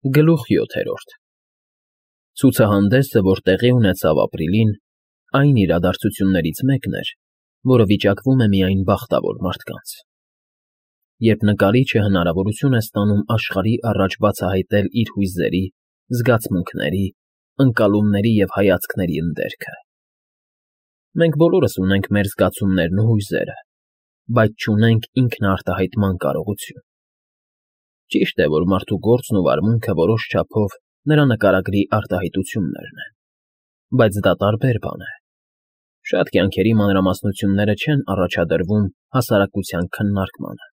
Գլուխ 7 Ցուցահանդեսը, որ տեղի ունեցավ ապրիլին, այն իրադարձություններից մեկն էր, որը վիճակվում է միայն բախտավոր մարդկանց։ Երբ նկարիչը հնարավորություն է ստանում աշխարհի առաջ բացահայտել իր հույզերի, զգացմունքների, ընկալումների և հայացքների ընդերքը։ Մենք բոլորս ունենք մեր զգացումներն ու հույզերը, բայց չունենք ինքնարտահայտման կարողություն։ Ճիշտ է, որ մարդու գործն ու վարմունքը որոշ չափով նրա նկարագրի արտահայտություններն են, բայց դա տարբեր բան է։ Շատ կյանքերի մանրամասնությունները չեն առաջադրվում հասարակության քննարկմանը։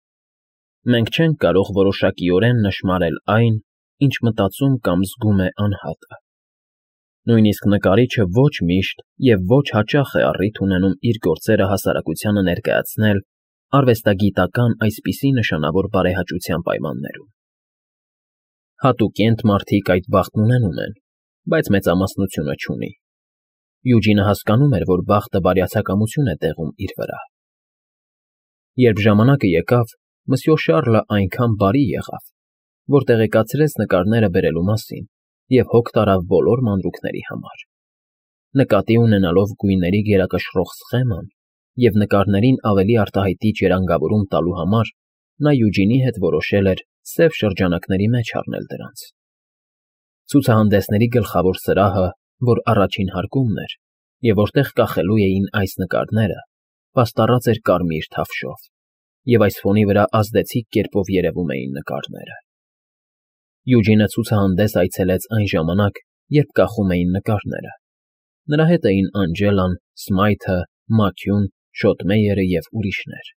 Մենք չենք կարող որոշակիորեն նշմարել այն, ինչ մտածում կամ զգում է անհատը։ Նույնիսկ նկարիչը ոչ միշտ և ոչ հաճախ է առիթ ունենում իր գործերը հասարակությանը ներկայացնել արվեստագիտական այսպիսի նշանավոր բարեհաճության պայմաններում։ Հատուկենտ մարդիկ այդ բախտն ունենում են, բայց մեծամասնությունը չունի։ Յուջինը հասկանում էր, որ բախտը բարյացակամություն է տեղում իր վրա։ Երբ ժամանակը եկավ, Մսյո Շառլը այնքան բարի եղավ, որ տեղեկացրեց նկարները բերելու մասին և հոգ տարավ բոլոր մանրուքների համար։ Նկատի ունենալով գույների գերակշռող սխեման և նկարներին ավելի արտահայտիչ երանգավորում տալու համար, նա Յուջինի հետ որոշել էր սև շրջանակների մեջ առնել դրանց։ Ցուցահանդեսների գլխավոր սրահը, որ առաջին հարկումն էր, և որտեղ կախելու էին այս նկարները, պաստառած էր կարմիր թավշով, և այս ֆոնի վրա ազդեցիկ կերպով երևում էին նկարները։ Յուջինը ցուցահանդես այցելեց այն ժամանակ, երբ կախում էին նկարները։ Նրա հետ էին Անջելան, Սմայթը, Մաքյուն, Շոթմեյերը և ուրիշներ։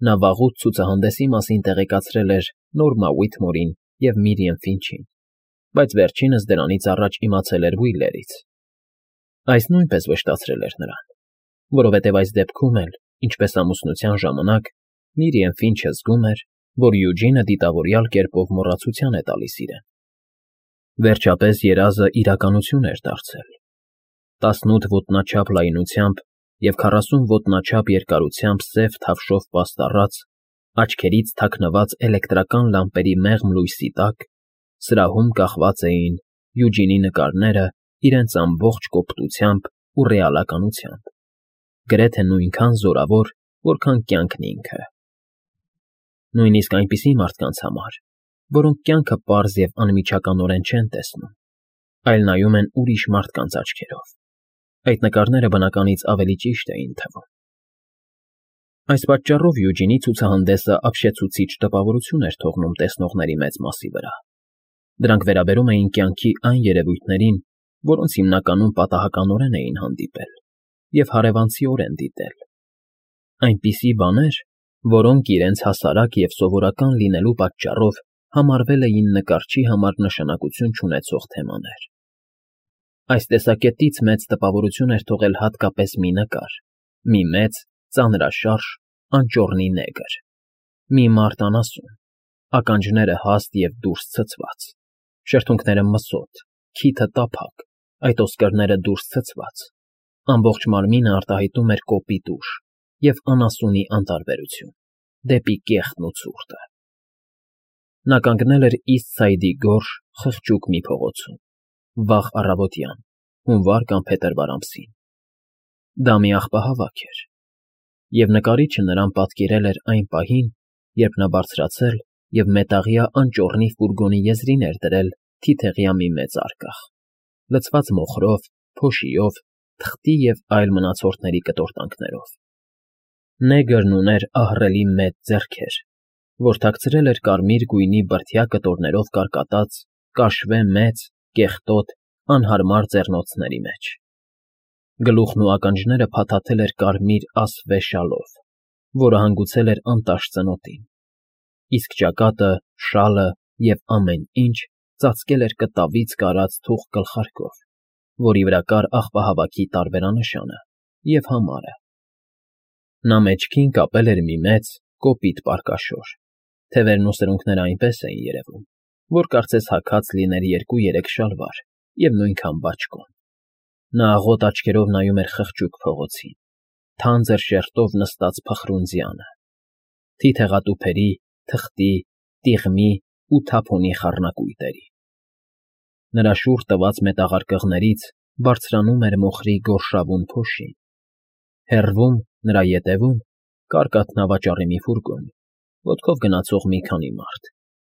Նա վաղուց ցուցահանդեսի մասին տեղեկացրել էր Նորմա Ուիթմորին և Միրիամ Ֆինչին, բայց վերջինս դրանից առաջ իմացել էր Ուիլլերից։ Այս նույնպես վշտացրել էր նրան, որովհետև այս դեպքում էլ, ինչպես ամուսնության ժամանակ, Միրիամ Ֆինչը զգում էր, որ Յուջինը դիտավորյալ կերպով մոռացության է տալիս իրեն։ Վերջապես երազը իրականություն էր դարձել։ 18 ոտնաչափ լայնությամբ և 40 ոտնաչափ երկարությամբ սև թավշով պաստառած, աչքերից թաքնված էլեկտրական լամպերի մեղմ լույսի տակ սրահում կախված էին Յուջինի նկարները իրենց ամբողջ կոպտությամբ ու ռեալականությամբ, գրեթե նույնքան զորավոր, որքան կյանքն ինքը։ Նույնիսկ այնպիսի մարդկանց համար, որոնք կյանքը պարզ և անմիջականորեն չեն տեսնում, այլ նայում են ուրիշ մարդկանց աչքերով, այդ նկարները բնականից ավելի ճիշտ էին թվում։ Այս պատճառով Յուջինի ցուցահանդեսը ապշեցուցիչ տպավորություն էր թողնում տեսնողների մեծ մասի վրա։ Դրանք վերաբերում էին կյանքի այն երևույթներին, որոնց հիմնականում պատահականորեն էին հանդիպել և հարևանցիորեն դիտել։ Այնպիսի բաներ, որոնք իրենց հասարակ և սովորական լինելու պատճառով համարվել էին նկարչի համար նշանակություն չունեցող թեմաներ։ Այս տեսակետից մեծ տպավորություն էր թողել հատկապես մի նկար, մի մեծ, ծանրաշարժ, անճոռնի նեգր, մի մարդ անասուն, ականջները հաստ և դուրս ցցված, շրթունքները մսոտ, քիթը տափակ, այդ ոսկրները դուրս ցցված, ամբողջ մարմինը արտահայտում էր կոպիտ ուժ և անասունի անտարբերություն դեպի կեղտն ու ցուրտը։ Նա կանգնել էր Իսթ Սայդի գորշ, խղճուկ մի փողոցում, վաղ առավոտյան, հունվար կամ փետրվար ամսին։ Դա մի աղբահավաք էր, և նկարիչը նրան պատկերել էր այն պահին, երբ նա բարձրացել և մետաղյա անճոռնի ֆուրգոնի եզրին էր դրել թիթեղյա մի մեծ արկղ, լցված մոխրով, փոշիով, թղթի և այլ մնացորդների կտորտանքներով։ Նեգրն ուներ ահռելի մեծ ձեռքեր, որ թաքցրել էր կարմիր գույնի բրդյա կտորներով կարկատած կաշվե մեծ, կեղտոտ, անհարմար ձեռնոցների մեջ։ Գլուխն ու ականջները փաթաթել էր կարմիր ասվե շալով, որը հանգուցել էր անտաշ ծնոտին, իսկ ճակատը, շալը և ամեն ինչ ծածկել էր կտավից կարած թուխ գլխարկով, որի վրա կար աղբահավաքի տարբերանշանը և համարը։ Նա մեջքին կապել էր մի մեծ, կոպիտ պարկաշոր, թևերն ու սրունքները այնպես էին երևում, որ կարծես հագած լիներ 2-3 շալվար և նույնքան բաճկոն։ Նա աղոտ աչքերով նայում էր խղճուկ փողոցին, թանձր շերտով նստած փխրունձյանը, թիթեղատուփերի, թղթի, տիղմի ու թափոնի խառնակույտերի։ Նրա շուռ տված մետաղարկղներից բարձրանում էր մոխրի գորշավուն փոշին։ Հեռվում, նրա ետևում, կար կաթնավաճառի մի ֆուրգոն, ոտքով գնացող մի քանի մարդ,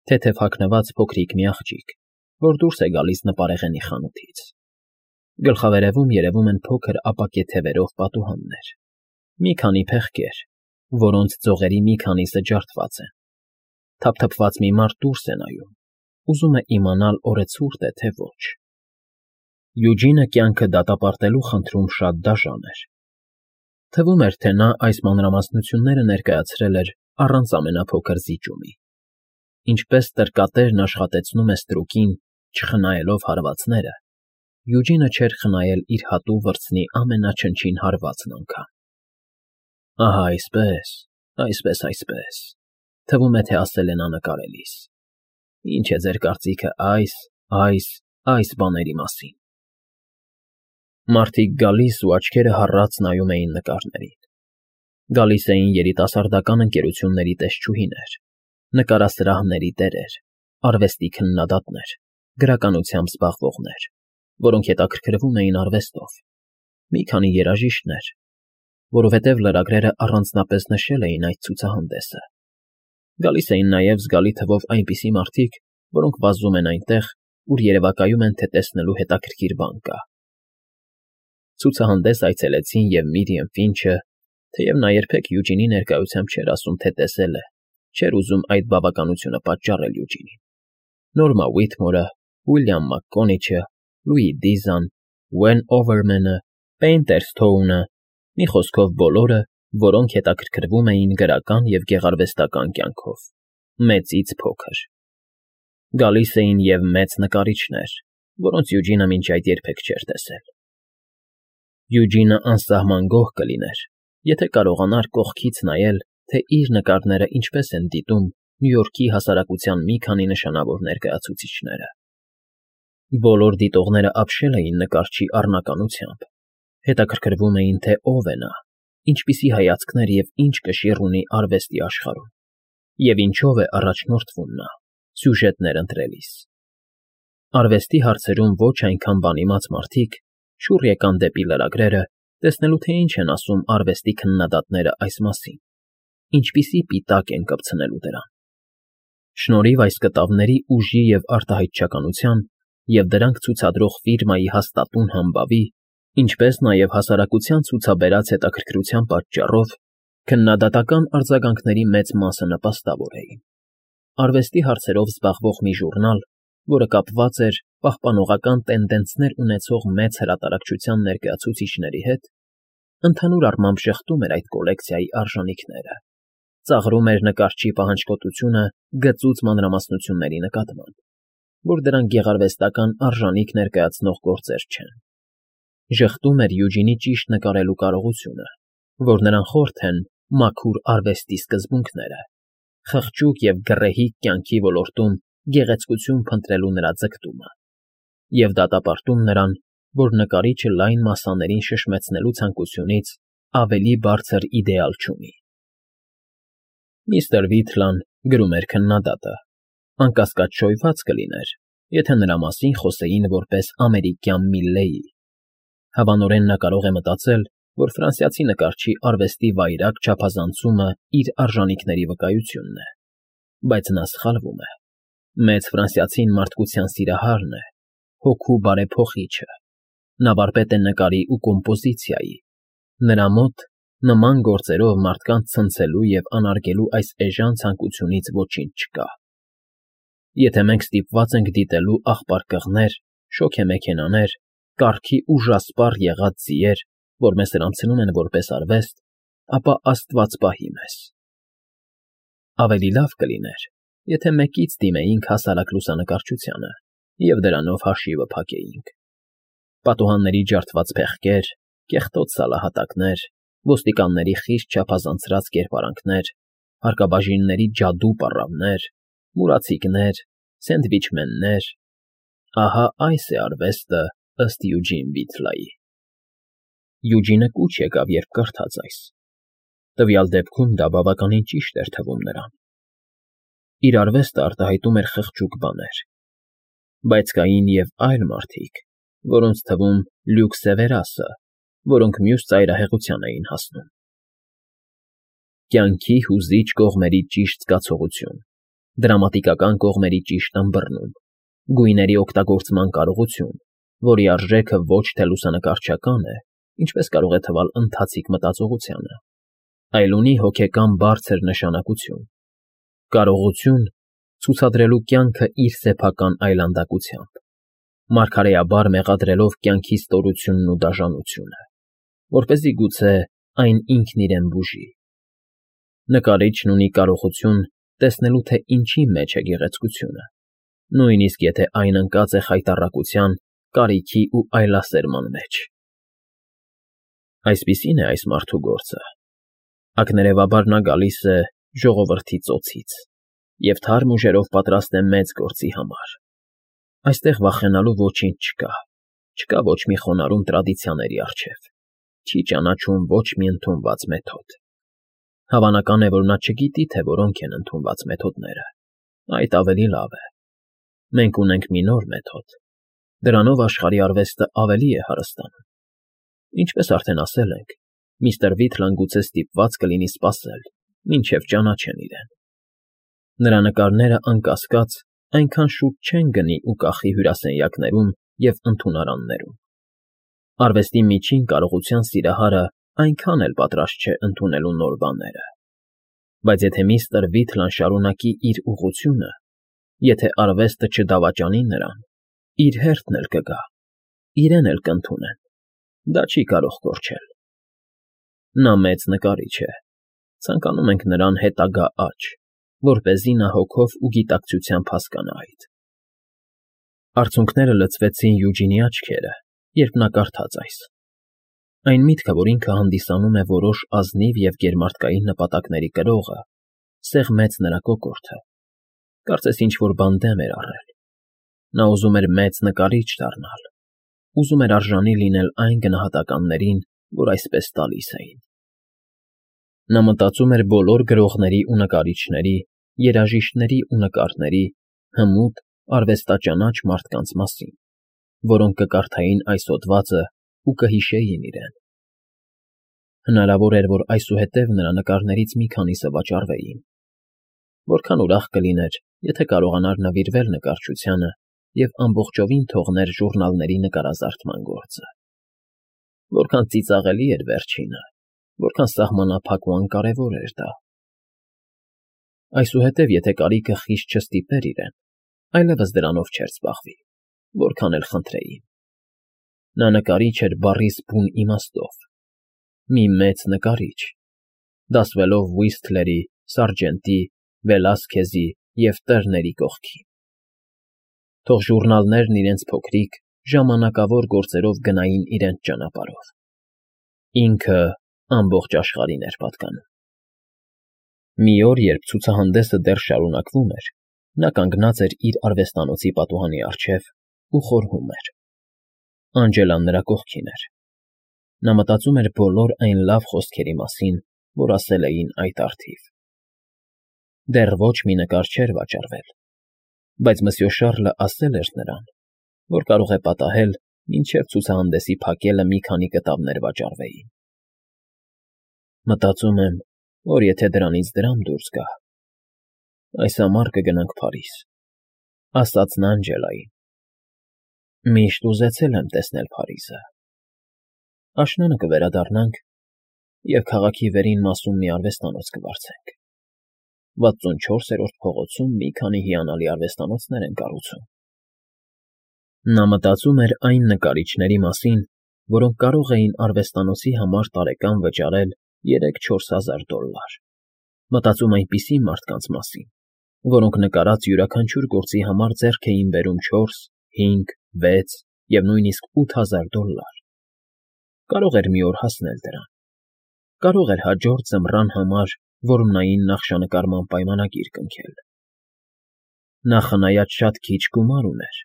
թեթև հագնված փոքրիկ մի աղջիկ, որ դուրս է գալիս նպարեղենի խանութից։ Գլխավերևում երևում են փոքր ապակե թևերով պատուհաններ, մի քանի փեղկեր, որոնց ձողերի մի քանիսը ջարդված են։ Թափթփված մի մարդ դուրս է նայում, ուզում է իմանալ օրը ցուրտ է, թե ոչ։ Յուջինը կյանքը դատապարտելու խնդրում շատ դաժան էր։ Թվում էր, թե նա այս մանրամասնությունները ներկայացրել էր առանց ամենափոքր զիջումի։ Ինչպես տրկատերն աշխատեցնում է ստրուկին, չխնայելով հարվածները, Յուջինը չէր խնայել իր հատու վրձնի ամենաչնչին հարվածն անգամ։ Ահա այսպես, թվում է, թե ասել են անկարելիս։ Ինչ է ձեր կարծիքը այս բաների մասին։ Մարդիկ գալիս ու աչքերը հառած նայում էին նկարներին։ Գալիս էին երիտասարդական ընկերությունների տեսչուհիներ, նկարասրահների տերեր, արվեստի քննադատներ, գրականությամբ զբաղվողներ, որոնք հետաքրքրվում էին արվեստով, մի քանի երաժիշտներ, որովհետև լրագրերը առանձնապես նշել էին այդ ցուցահանդեսը։ Գալիս էին նաև զգալի թվով այնպիսի մարդիկ, որոնք վազում են այնտեղ, ուր երևակայում են, թե տեսնելու հետաքրքիր բան կա։ Ցուցահանդես այցելեցին և Միրիամ Ֆինչը, թեև նա երբեք Յուջինի ներկայությամբ չէր ասում, թե տեսել է, չէր ուզում այդ բավականությունը պատճառել Յուջինին։ Նորմա Ուիթմորը, Ուիլյամ Մակկոնիչը, Լուի Դիզան, Ուեն Օվերմենը, Պեյնտերսթոունը, մի խոսքով բոլորը, որոնք հետաքրքրվում էին գրական և գեղարվեստական կյանքով, մեծից փոքր։ Գալիս էին և մեծ նկարիչներ, որոնց Յուջինը մինչ այդ երբեք չէր տեսել։ Յուջինը անսահման գոհ կլիներ, եթե կարողանար կողքից նայել, թե իր նկարները ինչպես են դիտում Նյու Յորքի հասարակության մի քանի նշանավոր ներկայացուցիչները։ Բոլոր դիտողները ապշել էին նկարչի առնականությամբ, հետաքրքրվում էին, թե ով է նա, ինչպիսի հայացքներ և ինչ կշիռ ունի արվեստի աշխարհում, և ինչով է առաջնորդվում նա, սյուժետներ ընտրելիս։ Արվեստի հարցերում ոչ այնքան բանիմաց մարդիկ շուռ եկան դեպի լրագրերը, տեսնելու թե ինչ են ասում արվեստի քննադատները այս մասին, ինչպիսի պիտակ են կպցնելու դրան։ Շնորհիվ այս կտավների ուժի և արտահայտչականության և դրանք ցուցադրող ֆիրմայի հաստատուն համբավի, ինչպես նաև հասարակության ցուցաբերած հետաքրքրության պատճառով, քննադատական արձագանքների մեծ մասը նպաստավոր էին։ Արվեստի հարցերով զբաղվող մի ժուրնալ, որը կապված էր պահպանողական տենդենցներ ունեցող մեծ հրատարակչության ներկայացուցիչների հետ, ընդհանուր առմամբ շղթում էր այդ կոլեկցիայի արժանիքները, ծաղրում էր նկարչի պահանջկոտությունը գծուծ մանրամասնությունների նկատմամբ, որ դրանք գեղարվեստական արժանիք ներկայացնող գործեր չեն։ Ժխտում էր Յուջինի ճիշտ նկարելու կարողությունը, որ նրան խորթ են մաքուր արվեստի սկզբունքները, խղճուկ և գռեհիկ կյանքի ոլորտում գեղեցկություն փնտրելու նրա ձգտումը, և դատապարտում նրան, որ նկարիչը լայն մասսաներին շշմեցնելու ցանկությունից ավելի բարձր իդեալ չունի։ Միստր Վիթլան, գրում էր քննադատը, անկասկած շոյված կլիներ, եթե նրա մասին խոսեին որպես ամերիկյան Միլլեի։ Հավանորեն նա կարող է մտածել, որ ֆրանսիացի նկարչի արվեստի վայրագ չափազանցումը իր արժանիքների վկայությունն է, բայց նա սխալվում է։ Մեծ ֆրանսիացին մարդկության սիրահարն է, հոգու բարեփոխիչը, նա վարպետ է նկարի ու կոմպոզիցիայի, նրա մոտ նման գործերով մարդկանց ցնցելու և անարգելու այս էժան ցանկությունից ոչինչ չկա։ Եթե մենք ստիպված ենք դիտելու աղբար շոգեմեքենաներ, կառքի ուժասպառ եղած ձիեր, որ մեզ սրանցնում են որպես արվեստ, ապա Աստված պահի մեզ։ Ավելի լավ կլիներ, եթե մեկից դիմեինք հասարակ լուսանկարչությանը և դրանով հաշիվը փակեինք։ Պատուհանների ջարդված փեղկեր, կեղտոտ սալահատակներ, ոստիկանների խիստ չափազանցրած կերպարանքներ, հարկաբաժինների ջադու պառավներ, մուրացիկներ, սենդվիչմեններ, ահա այս է արվեստը ըստ Յուջին Վիթլայի։ Յուջինը կուչ եկավ, երբ կարդաց այս։ Տվյալ դեպքում դա բավականին ճիշտ էր թվում նրան։ Իր արվեստը արտահայտում էր խղճուկ բաներ, Բայց կային և այլ մարդիկ, որոնց թվում Լյուք Սևերասը, որոնք մյուս ծայրահեղության էին հասնում։ Կյանքի հուզիչ կողմերի ճիշտ զգացողություն, դրամատիկական կողմերի ճիշտ ըմբռնում, գույների օգտագործման կարողություն, որի արժեքը ոչ թե լուսանկարչական է, ինչպես կարող է թվալ ընթացիկ մտածողությանը, այլ ունի հոգեկան բարձր նշանակություն, կարողություն ցուցադրելու կյանքը իր սեփական այլանդակությամբ, մարգարեաբար մեղադրելով կյանքի ստորությունն ու դաժանությունը, որպեսզի գուցե այն ինքն իրեն բուժի։ Նկարիչն ունի կարողություն տեսնելու, թե ինչի մեջ է գեղեցկությունը, նույնիսկ եթե այն ընկած է խայտառակության, կարիքի ու այլասերման մեջ։ Այսպիսին է այս մարդու գործը։ Ակներևաբար նա գալիս է ժողովրդի ծոցից և թարմ ուժերով պատրաստ է մեծ գործի համար։ Այստեղ վախենալու ոչինչ չկա, չկա ոչ մի խոնարհում տրադիցիաների առջև, չի ճանաչում ոչ մի ընդունված մեթոդ։ Հավանական է, որ նա չգիտի, թե որոնք են ընդունված մեթոդները, այդ ավելի լավ է։ Մենք ունենք մի նոր մեթոդ, դրանով աշխարհի արվեստը ավելի է հարստանում։ Ինչպես արդեն ասել ենք, միստր Վիթլան գուցե ստիպված կլինի սպասել, մինչև ճանաչեն իրեն։ Նրա նկարները, անկասկած, այնքան շուտ չեն գնի ու կախի հյուրասենյակներում և ընդունարաններում։ Արվեստի միջին կարողության սիրահարը այնքան էլ պատրաստ չէ ընդունելու նոր բաները։ Բայց եթե միստր Վիթլան շարունակի իր ուղղությունը, եթե արվեստը չդավաճանի նրան, իր հերթն էլ կգա, իրեն էլ կընդունեն, դա չի կարող կորչել։ Նա մեծ նկարիչ է, ցանկանում ենք նրան հետագա աճ, որպեսզի նա հոգով ու գիտակցությամբ հասկանա այդ։ Արցունքները լցվեցին Յուջինի աչքերը, երբ նա կարդաց այս։ Այն միտքը, որ ինքը հանդիսանում է որոշ ազնիվ և գերմարդկային նպատակների կրողը, սեղմեց նրա կոկորդը, կարծես ինչ-որ բան դեմ էր առել։ Նա ուզում էր մեծ նկարիչ դառնալ, ուզում էր արժանի լինել այն գնահատականներին, որ այսպես տալիս էին։ Նա մտածում էր բոլոր գրողների ու նկարիչների, երաժիշտների ու նկարների, հմուտ, արվեստաճանաչ մարդկանց մասին, որոնք կկարդային այս հոդվածը ու կհիշեին իրեն։ Հնարավոր էր, որ այսուհետև նրա նկարներից մի քանիսը վաճառվեին։ Որքան ուրախ կլիներ, եթե կարողանար նվիրվել նկարչությանը և ամբողջովին թողներ ժուրնալների նկարազարդման գործը։ Որքան ծիծաղելի էր վերջինը, որքան սահմանափակ ու անկարևոր էր դա։ Այսուհետև, եթե կարիքը խիստ չստիպեր իրեն, այլևս դրանով չէր զբաղվի, որքան էլ խնդրեին։ Նա նկարիչ էր բառիս բուն իմաստով, մի մեծ նկարիչ, դասվելով Ուիսթլերի, Սարժենտի, Վելասքեզի և Տերների կողքին։ Թող ժուրնալներն իրենց փոքրիկ, ժամանակավոր գործերով գնային իրենց ճանապարհով։ Ինքը ամբողջ աշխարհին էր պատկանում։ Մի օր, երբ ցուցահանդեսը դեռ շարունակվում էր, նա կանգնած էր իր արվեստանոցի պատուհանի առջև ու խորհում էր։ Անջելան նրա կողքին էր։ Նա մտածում էր բոլոր այն լավ խոսքերի մասին, որ ասել էին այդ առթիվ։ Դեռ ոչ մի նկար չէր վաճառվել, բայց Մսյո Շառլը ասել էր նրան, որ կարող է պատահել, մինչև ցուցահանդեսի փակելը մի քանի կտավներ վաճառվեին։ Մտածում եմ, որ եթե դրանից դրամ դուրս գա, այս ամառ կգնանք Փարիզ, ասաց նա Անջելային։ Միշտ ուզեցել եմ տեսնել Փարիզը։ Աշնանը կվերադառնանք և քաղաքի վերին մասում մի արվեստանոց կվարձենք։ 64-րդ փողոցում մի քանի հիանալի արվեստանոցներ են կառուցում։ Նա մտածում էր այն նկարիչների մասին, որոնք կարող էին արվեստանոցի համար տարեկան վճարել $3,000–4,000։ Մտածում այնպիսի մարդկանց մասին, որոնք նկարած յուրաքանչյուր գործի համար ձեռք էին բերում 4, 5, 6 և նույնիսկ $8,000։ Կարող էր մի օր հասնել դրան։ Կարող էր հաջորդ ձմռան համար որմնային նախշանկարման պայմանագիր կնքել։ Նա խնայած շատ քիչ գումար ուներ։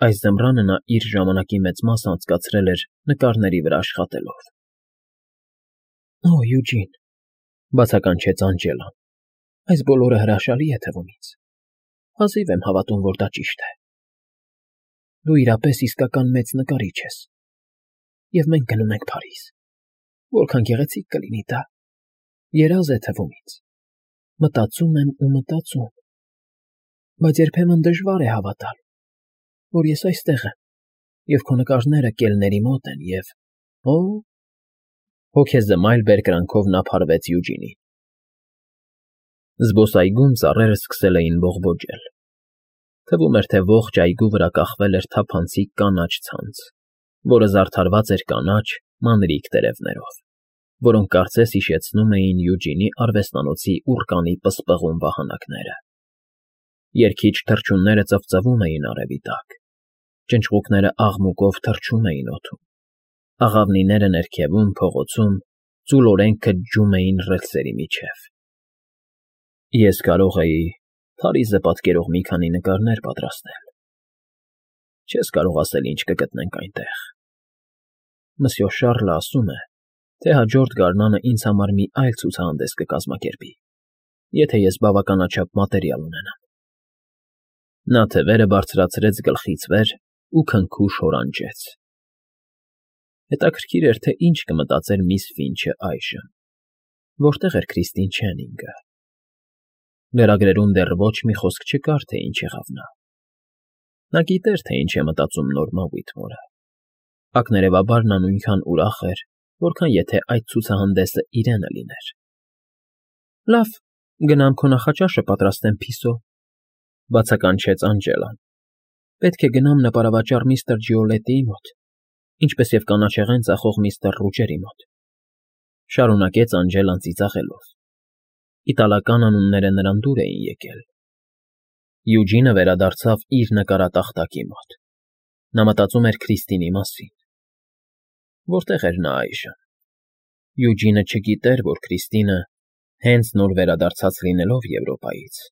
Այս ձմռանը նա իր ժամանակի մեծ մասը անցկացրել էր նկարների վրա աշխատելով։ «Օ, Յուջին,» բացականչեց Անջելան,֊ այս բոլորը հրաշալի է թվում ինձ։ Հազիվ եմ հավատում, որ դա ճիշտ է։ Դու իրապես իսկական մեծ նկարիչ ես։ Եվ մենք գնում ենք Փարիզ։ Որքան գեղեցիկ կլինի դա։ Երազ է թվում ինձ։ Մտածում եմ ու մտածում։ Բայց երբեմն դժվար է հավատալ, որ ես այստեղ եմ, և քո նկարները կելների մոտ են, և… Օ՜… Հոգեզմայլ բերկրանքով նա փարվեց Յուջինին։ Զբոսայգում ծառերը սկսել էին բողբոջել։ Թվում էր, թե ողջ այգու վրա կախվել էր թափանցիկ կանաչ ցանց, որը զարդարված էր կանաչ, մանրիկ տերևներով, որոնք կարծես հիշեցնում էին Յուջինի արվեստանոցի ուռկանի պսպղուն վահանակները։ Երգիչ թռչունները ծվծվում էին արևի տակ, ճնճղուկները աղմուկով թռչում էին օդում, աղավնիները ներքևում, փողոցում ծուլորեն քջում էին ռելսերի միջև։ Ես կարող էի Փարիզը պատկերող մի քանի նկարներ պատրաստել։ Չես կարող ասել ինչ կգտնենք այնտեղ։ Մսյո Շառլը ասում է, թե հաջորդ գարնանը ինձ համար մի այլ ցուցահանդես կկազմակերպի, եթե ես բավականաչափ մատերիալ ունենամ։ Նա թևերը բարձրացրեց գլխից վեր ու քնքուշ հորանջեց։ Հետաքրքիր էր, թե ինչ կմտածեր միս Ֆինչը այժմ, որտեղ էր Քրիստին Չենինգը։ Լրագրերում դեռ ոչ մի խոսք չկար, թե ինչ եղավ նա։ Նա գիտեր, թե ինչ է մտածում Նորմա Ուիթմորը։ Ակներևաբար նա նույնքան ուրախ էր, որքան եթե այդ ցուցահանդեսը իրենը լիներ։ Լավ, գնամ քո նախաճաշը պատրաստեմ, Փիսո, բացականչեց Անջելան։ Պետք է գնամ նպարավաճառ միստր Ջիոլետիի մոտ, ինչպես և կանաչեղեն ծախող միստր Ռուջերի մոտ, շարունակեց Անջելան ծիծաղելով։ Իտալական անունները նրան դուր էին եկել։ Յուջինը վերադարձավ իր նկարատախտակի մոտ։ Նա մտածում էր Քրիստինի մասին։ Որտե՞ղ էր նա այժմ։ Յուջինը չգիտեր, որ Քրիստինը, հենց նոր վերադարձած լինելով Եվրոպայից,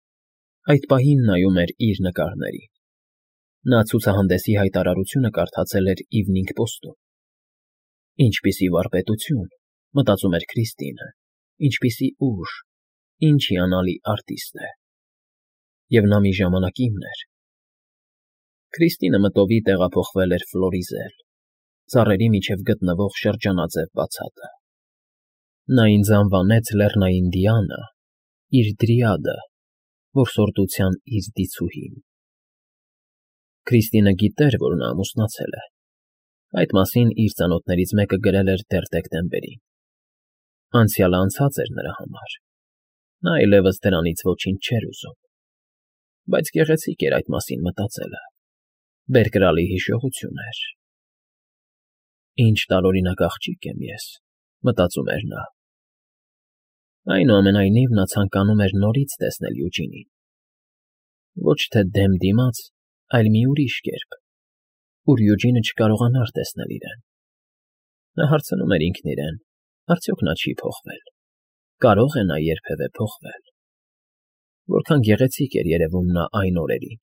այդ պահին նայում էր իր նկարներին։ Նա ցուցահանդեսի հայտարարությունը կարդացել էր Evening Post-ում։ Ինչպիսի վարպետություն, մտածում էր Քրիստինը, ինչպիսի ուժ, ինչ հիանալի արտիստ է։ Եվ նա մի ժամանակ իմն էր։ Քրիստինը մտովի տեղափոխվել էր Ֆլորիզել, ծառերի միջև գտնվող շրջանաձև բացատը։ Նա ինձ անվանեց Լեռնային Դիանա, իր դրիադը, որսորդության իր դիցուհին։ Քրիստինը գիտեր, որ նա ամուսնացել է։ Այդ մասին իր ծանոթներից մեկը գրել էր դեռ դեկտեմբերին։ Անցյալը անցած էր նրա համար։ Նա այլևս դրանից ոչինչ չէր ուզում։ Բայց գեղեցիկ էր այդ մասին մտածելը։ Բերկրալի հիշողություն էր։ Ինչ տարօրինակ աղջիկ եմ ես, մտածում էր նա։ Այնուամենայնիվ նա ցանկանում էր նորից տեսնել Յուջինին։ Ոչ թե դեմ դիմաց, այլ մի ուրիշ կերպ, ուր Յուջինը չկարողանար տեսնել իրեն։ Նա հարցնում էր ինքն իրեն, արդյոք նա չի փոխվել։ Կարո՞ղ է նա երբևէ փոխվել։ Որքան գեղեցիկ էր երևում նա այն օրերին,